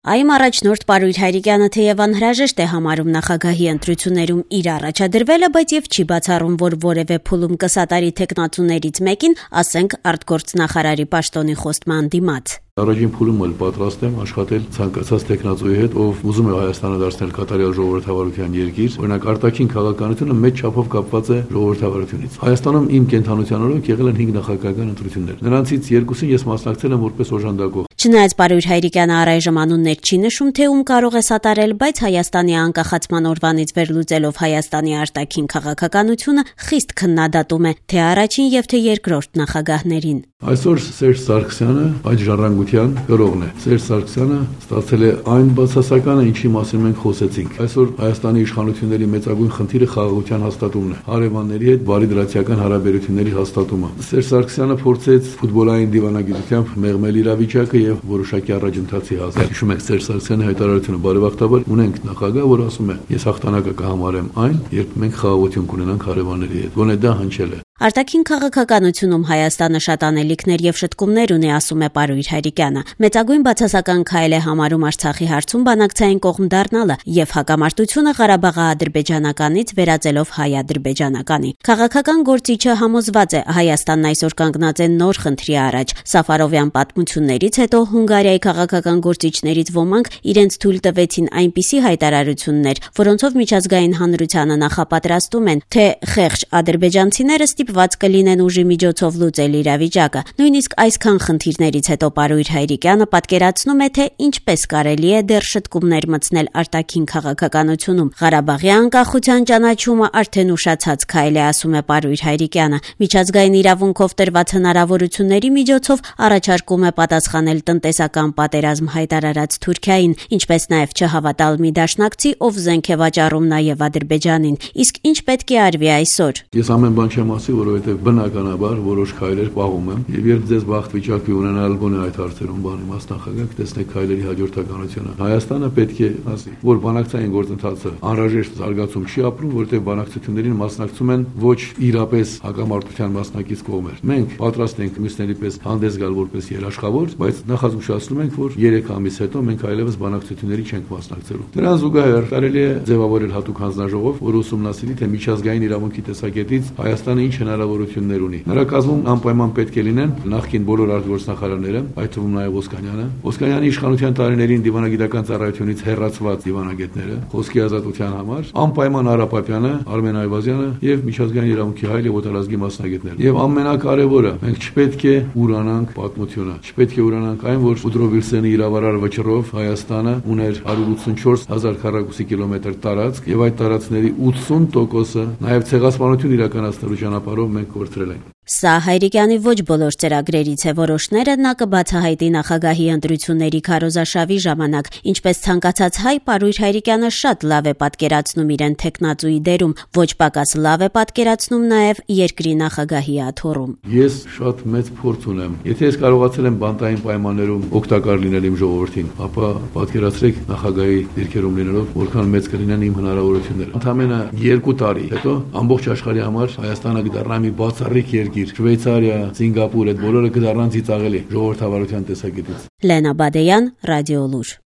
Այմ առաջնորդ Պարույր Հայրիկյանը թեև անհրաժեշտ է համարում նախագահի ընտրություններում իր առաջադրվելը, բայց եւ չի բացառում, որ որևէ փուլում կսատարի թեկնածուներից մեկին, ասենք արտգործնախարարի պաշտոնի խոստման դիմաց. Առաջին փուլում էլ պատրաստ եմ աշխատել ցանկացած տեխնացուի հետ, ով ուզում է Հայաստանը դարձնել կատարյալ ժողովրդավարության երկիր, օրինակ արտաքին քաղաքականությունը մեծ չափով կապված է ժողովրդավարությունից։ Հայաստանում իմ կենթանության օրոք եղել են 5 նախագահական ընտրություններ։ Նրանցից 2-ին ես մասնակցել եմ որպես օժանդակող։ Չնայած Պարույր Հայրիկյանը առայժմ անուններ չի նշում, թե ում կարող է սատարել, բայց Հայաստանի անկախացման օրվանից վերլուծելով Հայաստանի արտաքին քաղաքականությունը խիստ քննադատում է թե առաջին եւ թե երկրորդ նախագահներին։ Այսօր Սերժ Սարգսյանը այդ ժառանգության գրողն է։ Սերժ Սարգսյանը ստացել է այն բացասականը, ինչի մասին մենք խոսեցինք։ Այսօր Հայաստանի իշխանությունների մեծագույն խնդիրը խաղաղության հաստատումն է, հարևանների հետ բարի դրացիական հարաբերությունների հաստատումը։ Սերժ Սարգսյանը փորձեց ֆուտբոլային դիվանագիտությամբ մեղմել իրավիճակը եւ որոշակի առաջընթացի հասնել։ Հիշում եք Սերժ Սարգսյանի հայտարարությունը, բարեբախտաբար ունենք նախագահ, որ ասում է. ես հաղթանակը կհամարեմ այն, երբ մենք խաղաղություն կունենանք հարևանների հետ։ Գոնե դա հնչել է։ Արտաքին քաղաքականությունում Հայաստանը շատ անելիքներ եւ շտկումներ ունի, ասում է Պարույր Հայրիկյանը։ Մեծագույն բացասական քայլ է համարում Արցախի հարցում բանակցային կողմ դառնալը եւ հակամարտությունը Ղարաբաղաադրբեջանականից վերածելով հայ-ադրբեջանականի։ Քաղաքական գործիչը համոզված է, Հայաստանն այսօր կանգնած է նոր խնդրի առաջ։ Սաֆարովյան պատմություններից հետո Հունգարիայի քաղաքական գործիչներից ոմանք իրենց թույլ տվեցին այնպիսի հայտարարություններ, որոնցով միջազգային հանրությանը նախապատրաստում են, թե խեղճ ադրբեջանցիները ված կլինեն ուժի միջոցով լուծել իրավիճակը։ Նույնիսկ այսքան խնդիրներից հետո Պարույր Հայրիկյանը պատկերացնում է, թե ինչպես կարելի է դեռ շտկումներ մտցնել արտաքին քաղաքականությունում։ Ղարաբաղի անկախության ճանաչումը արդեն ուշացած քայլ է, ասում է Պարույր Հայրիկյանը։ Միջազգային իրավունքով տրված հնարավորությունների միջոցով առաջարկում է պատասխանել տնտեսական պատերազմ հայտարարած Թուրքիային, ինչպես նաև չհավատալ մի դաշնակցի, ով զենք է վաճառում նաև Ադրբեջանին։ Իսկ ինչ պետք է արվի այսօր։ Ես ամեն բան չեմ ասի, որովհետև բնականաբար որոշ քայլեր պահում եմ, եւ երբ ձեզ բախտ վիճակի ունենալ գոնե այդ հարցերում բանի մասնախագահ տեսնեք քայլերի հաջորդականությունը։ Հայաստանը պետք է ասի, որ բանակցային գործընթացը անհրաժեշտ զարգացում չի ապրում, որովհետև բանակցություններին մասնակցում են ոչ իրապես հակամարտության մասնակից կողմեր։ Մենք պատրաստ ենք մյուսների պես հանդես գալ որպես երաշխավոր, բայց նախազգուշացնում ենք, որ 3 ամիս հետո մենք այլևս բանակցությունների չենք մասնակցելու։ Դրան զուգահեռ կարելի է ձևավորել հատուկ հանձնաժողով, որ ուսումնասիրի, թե միջազգային իրավունքի տեսակետից Հայաստանը ինչ հնարավորություններ ունի։ Նրա կազմում անպայման պետք է լինեն նախկին բոլոր արտգործնախարարները, այդ թվում նաև Ոսկանյանը, Ոսկանյանի իշխանության տարիներին դիվանագիտական ծառայությունից հեռացված դիվանագետները, խոսքի ազատության համար, անպայման Արա Պապյանը, Արմեն Այվազյանը եւ միջազգային իրավունքի հայ եւ օտարազգի մասնագետներ։ Եվ ամենակարևորը, մենք չպետք է ուրանանք պատմությունը, չպետք է ուրանանք այն, որ Ուդրո Վիլսենի իրավարար վճռով Հայաստանը ուներ 184,000 քառակուսի կիլոմետր տարածք եւ այդ տարածքների 80%-ը նաեւ ցեղասպանություն իրականացնելու ճանապարհով մենք կորցրել ենք։ Սա Հայրիկյանի ոչ բոլոր ծրագրերից է, որոշները նա կբացահայտի նախագահի ընտրությունների քարոզարշավի ժամանակ։ Ինչպես ցանկացած հայ, Պարույր Հայրիկյանը շատ լավ է պատկերացնում իրեն թեկնածուի դերում, ոչ պակաս լավ է պատկերացնում նաև երկրի նախագահի աթոռում։ Ես շատ մեծ փորձ ունեմ։ Եթե ես կարողացել եմ բանտային պայմաններում օգտակար լինել իմ ժողովրդին, ապա պատկերացրեք նախագահի դիրքերում լինելով, որքան մեծ կլինեն իմ հնարավորությունները։ Ընդամենը 2 տարի հետո ամբողջ աշխարհի համար Հայաստանը կդառնա մի բացառիկ երկիր։ Շվեյցարիա, Սինգապուր, այդ բոլորը կդառնան ծիծաղելի ժողովրդավարության տեսակետից։ Լենա Բադեյան, Ռադիոլուր։